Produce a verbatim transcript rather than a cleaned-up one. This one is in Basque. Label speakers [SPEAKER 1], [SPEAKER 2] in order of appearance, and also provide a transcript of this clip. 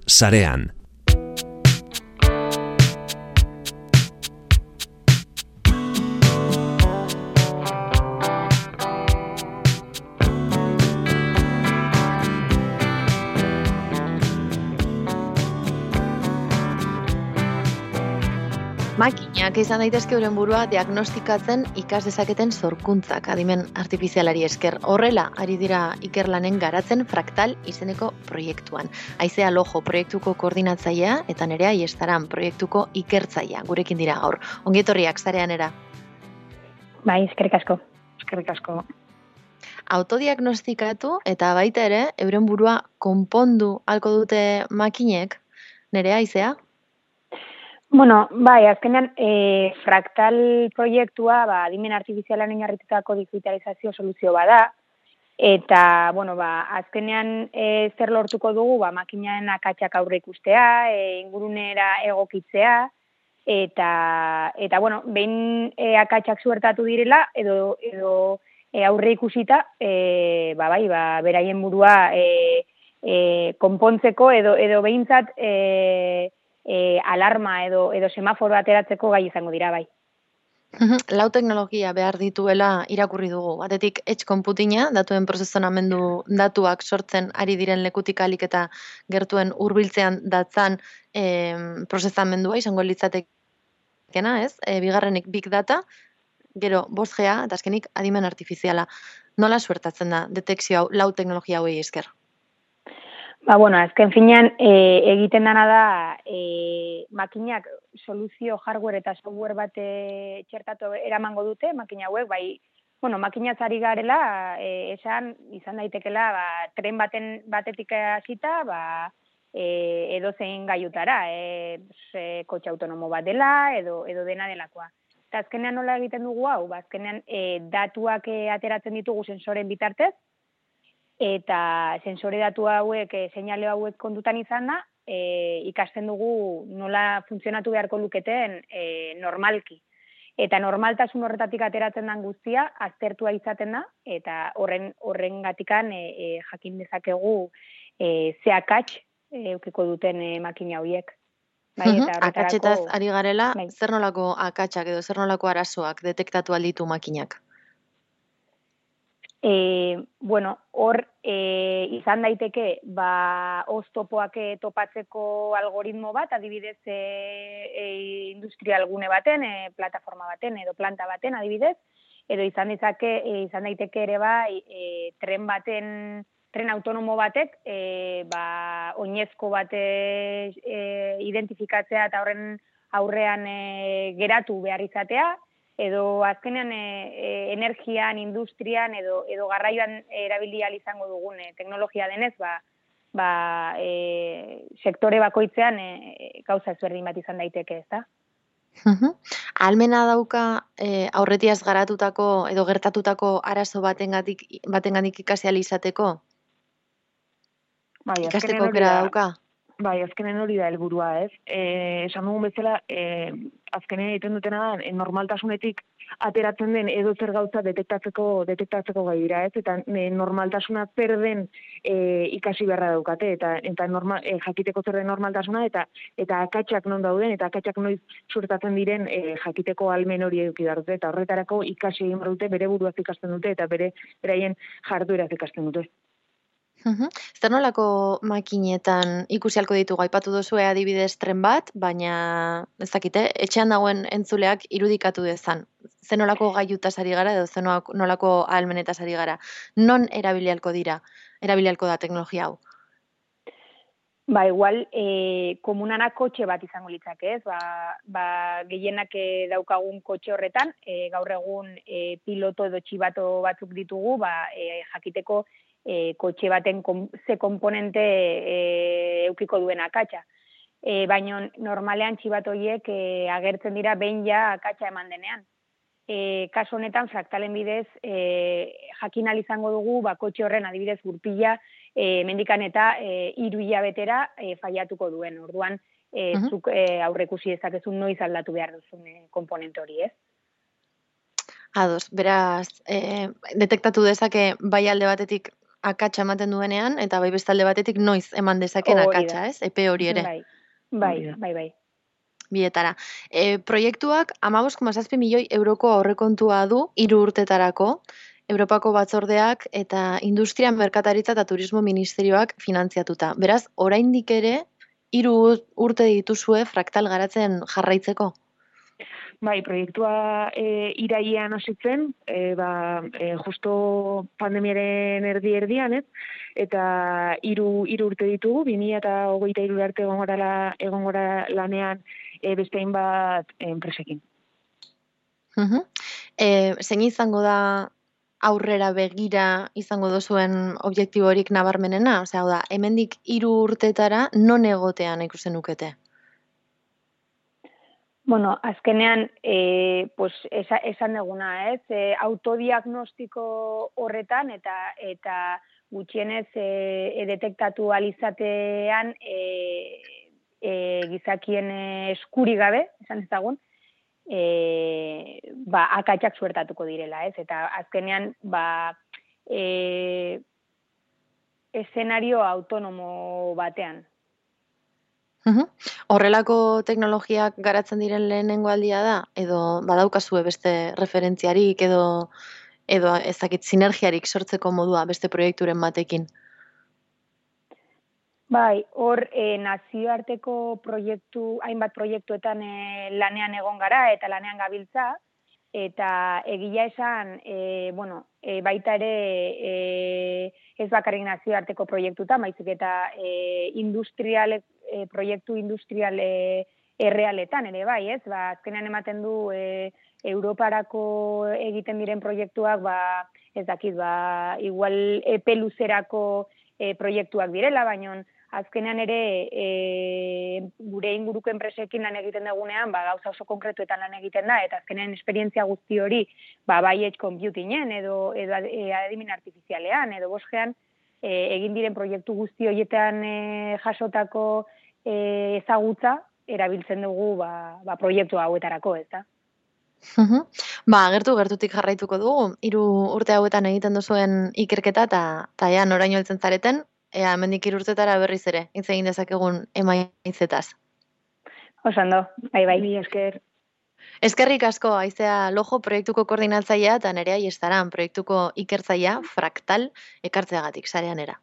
[SPEAKER 1] sarean.
[SPEAKER 2] Makinak izan daitezke euren burua diagnostikatzen ikas dezaketen sorkuntzak adimen artifizialari esker. Horrela ari dira ikerlanen garatzen Fraktal izeneko proiektuan. Aizea Lojo proiektuko koordinatzailea eta Nerea Iestaran proiektuko ikertzailea. Gurekin dira gaur. Ongi etorriak sareanera.
[SPEAKER 3] Bai, eskerrik asko. Eskerrik asko.
[SPEAKER 2] Autodiagnostikatu eta baita ere euren burua konpondu halko dute makinek. Nerea, Aizea?
[SPEAKER 3] Bueno, bai, azkenean e, Fraktal proiektua ba, adimen artifizialan oinarritutako digitalizazio soluzio bada, eta, bueno, ba, azkenean e, zer lortuko dugu, ba, makinaen akatsak aurre ikustea, e, ingurunera egokitzea, eta, eta bueno, behin e, akatsak suertatu direla, edo, edo e, aurre ikusita, e, ba, bai, ba, beraien burua e, e, konpontzeko, edo, edo behintzat, e, E, alarma edo edo semaforo ateratzeko gai izango dira bai.
[SPEAKER 2] Lau teknologia behar dituela irakurri dugu. Batetik edge computinga, datuen prozesonamendu datuak sortzen ari diren lekutik alik eta gertuen hurbiltzean datzan e, prozesamendua izango litzatekena, ez? E, bigarrenik big data, gero bost G eta azkenik adimen artifiziala. Nola suertatzen da detekzio hau lau teknologia hauei esker?
[SPEAKER 3] Ba, bueno, azken finean e, egiten dana da e, makinak soluzio hardware eta software bat e, txertatu eramango dute, makina hauek, bai, bueno, makinaz ari garela, e, esan, izan daitekela, ba, tren baten batetik hasita, ba, e, edo zein gaiutara, e, e, kotxe autonomo bat dela, edo, edo dena delakoa. Eta azkenean nola egiten dugu hau, ba, azkenean e, datuak e, ateratzen ditugu sensoren bitartez, eta sensore datu hauek, e, seinale hauek kontutan izan da, e, ikasten dugu nola funtzionatu beharko luketen e, normalki. Eta normaltasun horretatik ateratzen den guztia, aztertua izaten da, eta horren horren gatikan e, e, jakin dezakegu e, ze akats e, eukiko duten e, makina horiek.
[SPEAKER 2] Bai, eta akatsetaz ari garela,
[SPEAKER 3] bai.
[SPEAKER 2] Zer nolako akatsak edo zer nolako arazoak detektatu alditu makinak?
[SPEAKER 3] E, bueno, hor e, izan daiteke ba, oztopoak topatzeko algoritmo bat, adibidez e, e, industrial gune baten, e, plataforma baten edo planta baten adibidez, edo izan ditzake, e, izan daiteke ere bai e, tren baten, tren autonomo batek, e, ba, oinezko bate e, identifikatzea eta horren aurrean e, geratu behar izatea, edo azkenean e, e, energian, industrian edo edo garraioan erabili ahal izango dugun e, teknologia denez, ba, ba e, sektore bakoitzean e, gauza ezberdin bat izan daiteke, ezta?
[SPEAKER 2] Almena dauka e, aurretiaz garatutako edo gertatutako arazo batengatik batengatik ikasi ahal izateko?
[SPEAKER 4] Bai,
[SPEAKER 2] ikasteko aukera dauka?
[SPEAKER 4] Bai, azkenen hori da helburua, ez? Eh, esan dugun bezala, eh, azkenen egiten dutena da, e, normaltasunetik ateratzen den edo zer gauza detektatzeko detektatzeko gai dira, ez? Eta e, normaltasuna zer den e, ikasi beharra daukate, eta eta normal, e, jakiteko zer den normaltasuna, eta eta akatsak non dauden, eta akatsak noiz suertatzen diren e, jakiteko almen hori eduki behar dute, eta horretarako ikasi egin behar dute, bere buruaz ikasten dute, eta bere beraien jardueraz ikasten dute.
[SPEAKER 2] Uhum. Zer nolako makinetan ikusi halko ditugu, aipatu duzue adibidez tren bat, baina ez dakite, etxean dagoen entzuleak irudikatu dezan. Zer nolako gaiutaz ari gara edo zer nolako ahalmenetaz ari gara. Non erabili halko dira, erabili halko da teknologia hau?
[SPEAKER 3] Ba, igual, e, komunana kotxe bat izango litzake, ez? Ba, ba, gehienak e, daukagun kotxe horretan, e, gaur egun e, piloto edo txibato batzuk ditugu, ba, e, jakiteko E, kotxe baten kom, ze komponente e, eukiko duen akatsa. E, baina normalean txibatoiek e, agertzen dira behin ja akatsa eman denean. E, kasu honetan Fraktalen bidez e, jakin ahal izango dugu ba, kotxe horren adibidez gurpila e, mendikan eta e, hiru hilabetera e, faiatuko duen. Orduan e, uh-huh. zuk e, aurrekusi dezakezun noiz aldatu behar duzun e, komponente hori, ez?
[SPEAKER 2] Ados, beraz, e, detektatu dezake bai alde batetik akatsa ematen duenean, eta bai bestalde batetik noiz eman dezaken
[SPEAKER 3] Hori
[SPEAKER 2] akatsa,
[SPEAKER 3] da.
[SPEAKER 2] ez? Epe hori ere.
[SPEAKER 3] Bai, bai,
[SPEAKER 4] Hori da.
[SPEAKER 3] bai, bai.
[SPEAKER 2] Bietara. E, proiektuak hamabost koma zazpi milioi euroko aurrekontua du hiru urtetarako, Europako batzordeak eta Industria, Merkataritza eta Turismo Ministerioak finantziatuta. Beraz, oraindik ere hiru urte dituzue fraktal garatzen jarraitzeko.
[SPEAKER 4] Bai, proiektua e, irailean hasi zen, e, ba, e, justo pandemiaren erdi erdian, ez? Eta hiru hiru urte ditugu, bi mila hogeita hiru arte egon gara egon gara lanean e, beste hainbat enpresekin.
[SPEAKER 2] Mhm. E, zein izango da aurrera begira izango duzuen objektiborik nabarmenena? Osea, hau da, hemendik hiru urtetara non egotean ikusten nukete?
[SPEAKER 3] Bueno, azkenean, e, pues, esa, esan eguna, ez? E, autodiagnostiko horretan eta eta gutxienez e, detektatu alizatean e, e, gizakien eskuri gabe, esan ezagun, e, ba, akatsak suertatuko direla, ez? Eta azkenean, ba, e, eszenario autonomo batean.
[SPEAKER 2] Mhm. Horrelako teknologiak garatzen diren lehenengo aldia da? Edo badaukazue beste referentziarik edo edo ezakit sinergiarik sortzeko modua beste proiekturen batekin?
[SPEAKER 3] Bai, hor e, nazioarteko proiektu, hainbat proiektuetan e, lanean egon gara eta lanean gabiltza, eta egia esan, e, bueno, e, baita ere e, ez bakarrik nazioarteko proiektuta, baizik eta e, industrial, e, proiektu industrial e, errealetan ere bai, ez? Ba, azkenean ematen du e, Europarako egiten diren proiektuak, ba, ez dakit, ba, igual epe luzerako e, proiektuak direla, baina azkenean ere e, gure inguruko enpresekin lan egiten dugunean, ba, gauza oso konkretuetan lan egiten da, eta azkenean esperientzia guzti hori, ba, bai edge computingen, edo, edo adimen artifizialean, edo bosgean, e, egin diren proiektu guzti horietan e, jasotako e, ezagutza, erabiltzen dugu ba, ba, proiektu hauetarako, ez da?
[SPEAKER 2] Mhm. Ba, gertu gertutik jarraituko dugu. Hiru urte hauetan egiten duzuen ikerketa eta ta ea noraino heltzen zareten, ea hemendik hiru urtetara berriz ere hitz egin dezakegun emaitzetaz.
[SPEAKER 3] Oso ondo, bai, bai.
[SPEAKER 4] Mila esker.
[SPEAKER 2] Eskerrik asko, Aizea Lojo proiektuko koordinatzailea eta Nerea Iestaran proiektuko ikertzailea Fraktal ekartzeagatik sareanera.